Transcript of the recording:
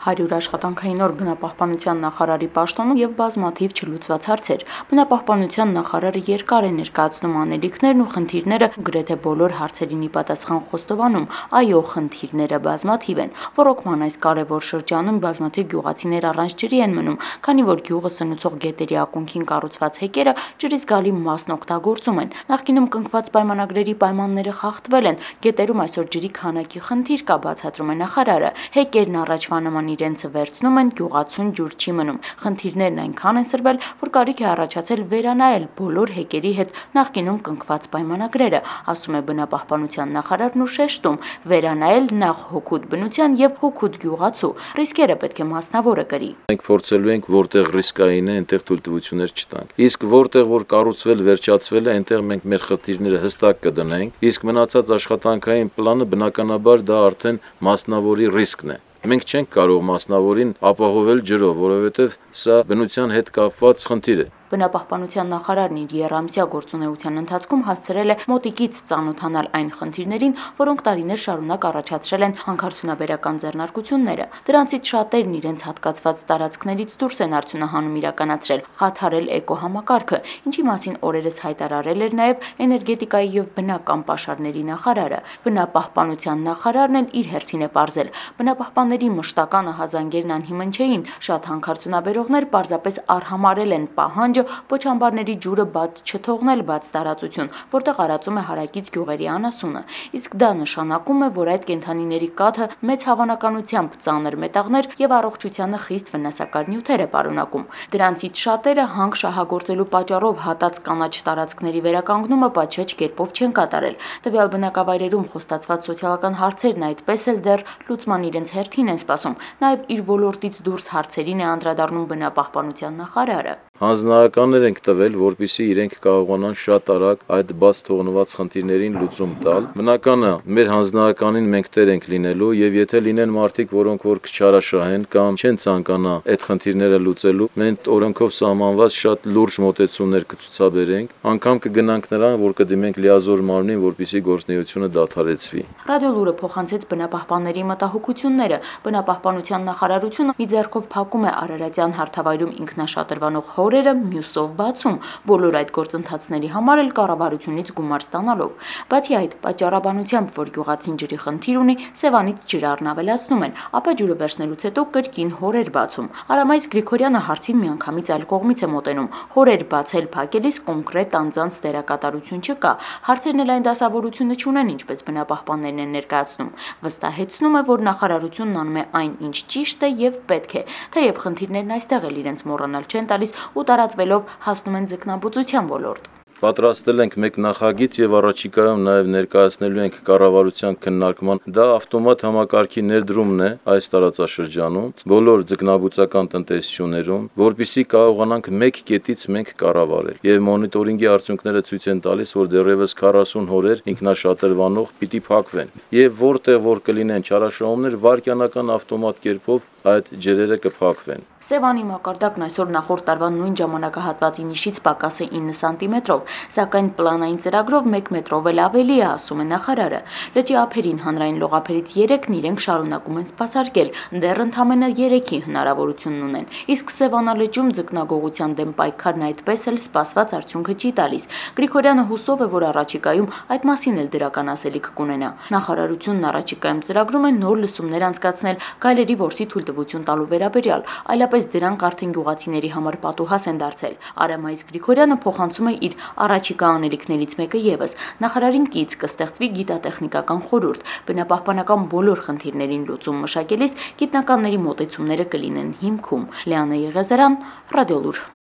100 աշխատանքային օր բնապահպանության նախարարի պաշտոնում եւ բազմաթիվ չլուծված հարցեր։ Բնապահպանության նախարարը երկար է ներկայացնում անելիքներն ու խնդիրները, գրեթե բոլոր հարցերին ի պատասխան խոստովանում, այո, խնդիրները բազմաթիվ են։ Ռոռոկման այս կարևոր շրջանում բազմաթիվ գյուղացիներ առանց ջրի են մնում, քանի որ գյուղը սնուցող գետերի ակունքին կառուցված հեկերը ջրի զգալի մասն օգտագործում են։ Նախկինում կնքված պայմանագրերի պայմանները խախտվել են, գետերում այսօր ջրի քանակի խնդիր կա, բացատրում է նախարարը։ Հեկերն առաջվա նման իրենցը վերցնում են, գյուղացուն ջուր չի մնում։ Խնդիրներն այնքան են սրվել, որ կարիք է առաջացել վերանայել բոլոր հեկերի հետ նախկինում կնքված պայմանագրերը, ասում է բնապահպանության նախարարն ու շեշտում, վերանայել նախ հօգուտ բնության եւ հօգուտ գյուղացու։ Ռիսկերը պետք է մասնավորը կրի։ Մենք փորձելու ենք որտեղ ռիսկային է, այնտեղ թույլտվություններ չտանք։ Իսկ որտեղ որ կառուցվել վերջացվել է, այնտեղ մենք մեր խնդիրները հստակ կդնենք, իսկ մնացած աշխատանքային պլանը բնականաբար դա արդեն մասնավորի ռիսկն է։ Մենք չենք կարող մասնավորին ապահովել ջրով, որովհետև սա բնության հետ կապված խնդիր է։ Բնապահպանության նախարարն իր եռամսյա գործունեության ընթացքում հասցրել է մոտիկից ծանոթանալ այն խնդիրներին, որոնք տարիներ շարունակ առաջացրել են հանքարդյունաբերական ձեռնարկությունները։ Դրանցից շատերն իրենց հատկացված տարածքներից դուրս են արդյունահանում իրականացրել, խաթարել էկոհամակարգը, ինչի մասին օրերս հայտարարել էր նաև էներգետիկայի եւ բնական պաշարների նախարարը։ Բնապահպանության նախարարն էլ իր հերթին է պարզել, բնապահպանների մշտական ահազանգերն անհիմն չէին, շատ հանքարդյունաբերողներ պարզապես արհամարել են պահանջը պոչամբարների ջուրը բաց չթողնել բաց տարածություն, որտեղ արածում է հարակից գյուղերի անասունը։ Իսկ դա նշանակում է, որ այդ կենդանիների կաթը մեծ հավանականությամբ ծանր մետաղներ եւ առողջությանը խիստ վնասակար նյութեր է պարունակում։ Դրանցից շատերը հանք շահագործելու պատճառով հատած կանաչ տարածքների վերականգնումը պատշաճ կերպով չեն կատարել։ Տվյալ բնակավայրերում խոստացված սոցիալական հարցերն այդպես էլ դեռ լուծման իրենց հերթին են սպասում։ Նաեւ իր ոլորտից դուրս հարցերին է անդրադառնում բնապահպանության նախարարը։ Հանձնարարականներ ենք տվել, որպեսզի իրենք կարողանան շատ արագ այդ բաց թողնված խնդիրներին լուծում տալ։ Բնական է, մեր հանձնարարականին մենք տեր ենք լինելու եւ եթե լինեն մարդիկ, որոնք որ կչարաշահեն կամ չեն ցանկանա այդ խնդիրները լուծելու, մենք օրենքով սահմանված շատ լուրջ մոտեցումներ կցուցաբերենք, անգամ կգնանք նրան, որ կդիմենք լիազոր մարմնին, որպեսզի գործունեությունը դադարեցվի։ Ռադիոլուրը փոխանցեց բնապահպանների մտահոգությունները։ Բնապահպանության նախարարությունը մի ձեռքով փակում է Արարատյան հարթավայրում ինքնաշատրվանող օրերը, մյուսով բացում, բոլոր այդ գործընթացների համար էլ կառավարությունից գումար ստանալով։ Բացի այդ, պատճառաբանությամբ, որ գյուղացին ջրի խնդիր ունի, Սևանից ջրը առնավելացնում են, ապա ջուրը վերցնելուց հետո կրկին հորեր բացում։ Արամայից Գրիգորյանը հարցին միանգամից այլ կողմից է մոտենում։ Հորեր բացել փակելիս կոնկրետ անձանց դերակատարություն չկա։ Հարցերն էլ այն դասավորությունը չունեն, ինչպես բնապահպաններն են ներկայացնում։ Վստահեցնում է, որ նախարարությունն անում է այն, ինչ ճիշտ է եւ պետք է, թեև խնդիրներն այստեղ էլ իրենց մոռանալ չեն տալիս ու տարածվելով հասնում են ձկնաբուծության ոլորտ։ Պատրաստել ենք մեկ նախագիծ եւ առաջիկայում նաեւ ներկայացնելու ենք կառավարության քննարկման։ Դա ավտոմատ համակարգի ներդրումն է այս տարածաշրջանում, բոլոր ձկնաբուծական տնտեսություններում, որpիսի կարողանանք մեկ կետից մենք կառավարել։ Եվ մոնիտորինգի արդյունքները ցույց են տալիս, որ դեռևս 40 հորեր ինքնաշատրվանող պիտի փակվեն։ Եվ որտեղ որ կլինեն չարաշահումներ, վարկյանական ավտոմատ կերպով այդ ջրերը կփակվեն։ Սևանի մակարդակն այսօր նախորդ տարվա նույն ժամանակահատվածի նիշից պակաս է 9 սանտիմետրով, սակայն պլանային ծրագրով 1 մետրով էլ ավելի է, ասում է նախարարը։ Լճի ափերին հանրային լողափերից 3-ն իրենք շարունակում են սպասարկել, դեռ ընդամենը 3-ի հնարավորությունն ունեն։ Իսկ Սևանա լճում ձկնագողության դեմ պայքարն այդպես էլ սպասված արդյունքը չի տալիս։ Գրիգորյանը հուսով է, որ առաջիկայում այդ մասին էլ դրական ասելիք կունենա։ Նախարարությունն առաջիկայում ծրագրում է նոր լսումներ անցկացնել գայլերի որսի թույլտվություն տալու վերաբերյալ, այլապես դրանք արդեն գյուղացիների համար պատուհաս են դարձել։ Արամայից Գրիգորյանը փոխանցում է իր առաջիկա անելիքներից մեկը եւս։ Նախարարին կից կստեղծվի գիտատեխնիկական խորհուրդ, բնապահպանական բոլոր խնդիրներին լուծում մշակելիս գիտնականների մոտեցումները կլինեն հիմքում։ Լիանա Եղիազարյան, Ռադիոլուր։